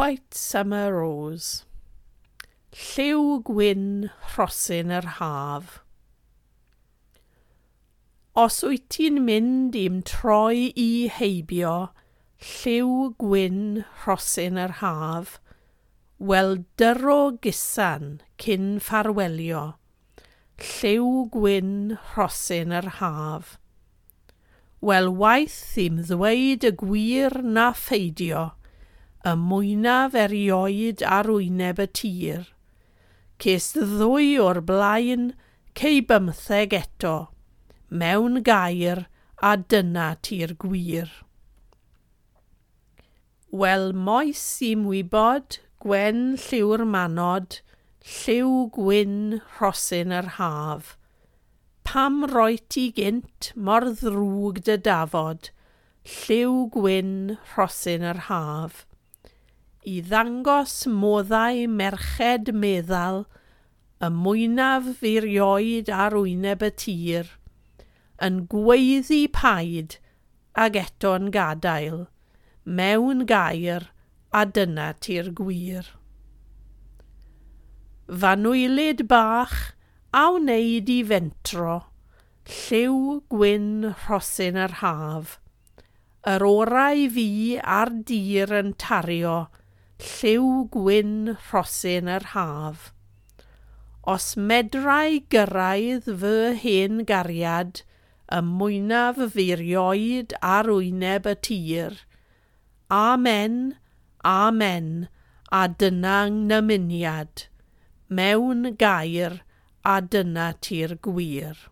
White Summer Rose. Lliw gwyn rhosyn yr haf. Os wyt ti'n mynd i'm troi i heibio, lliw gwyn rhosyn yr haf, wel dyro gusan cyn ffarwelio, lliw gwyn rhosyn yr haf. Wel waeth i'm ddweud y gwir na pheidio, y mwynaf erioed ar wyneb y tir. Ces ddwy o'r blaen, cei 15 eto, mewn gair a dyna ti'r gwir. Wel moes i'm wybod, gwen lliw'r manod, lliw gwyn rhosyn yr haf. Pam roi ti gynt mor ddrwg dy dafod, lliw gwyn rhosyn yr haf. I ddangos moddau merched meddal, y mwynaf firioed ar wyneb y tir, yn gweiddi paid ag eto'n gadael, mewn gair a dyna ti'r gwir. Fanwylyd bach a wneud i fentro, lliw gwyn rhosyn yr haf. Yr orau fi ar dir yn tario, lliw gwyn rhosyn yr haf. Os medrai gyrraedd fy hen gariad, y mwynaf firioed ar wyneb y tir. Amen, amen, a dyna nymuniad. Mewn gair, a dyna ti'r gwir.